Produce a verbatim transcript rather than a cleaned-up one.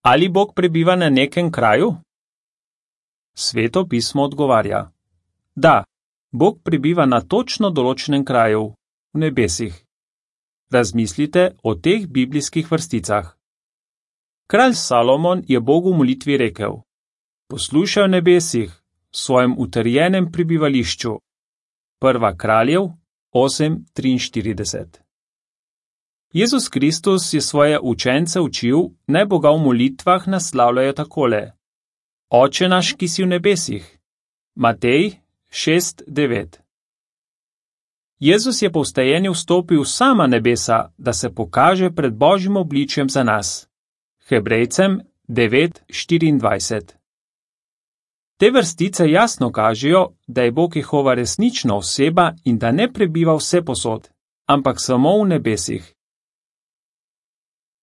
Ali Bog prebiva na nekem kraju? Sveto pismo odgovarja: da, Bog prebiva na točno določenem kraju, v nebesih. Razmislite o teh biblijskih vrsticah. Kralj Salomon je Bogu v molitvi rekel: poslušaj v nebesih, v svojem utrjenem prebivališču. Prva Kraljev osem triinštirideset. Jezus Kristus je svoje učence učil, naj Boga v molitvah naslavljajo takole: Oče naš, ki si v nebesih. Matej šest devet. Jezus je po vstajenju vstopil v sama nebesa, da se pokaže pred Božjim obličjem za nas. Hebrejcem devet štiriindvajset. Te vrstice jasno kažejo, da je Bog Jehova resnična oseba in da ne prebiva vsepovsod, ampak samo v nebesih.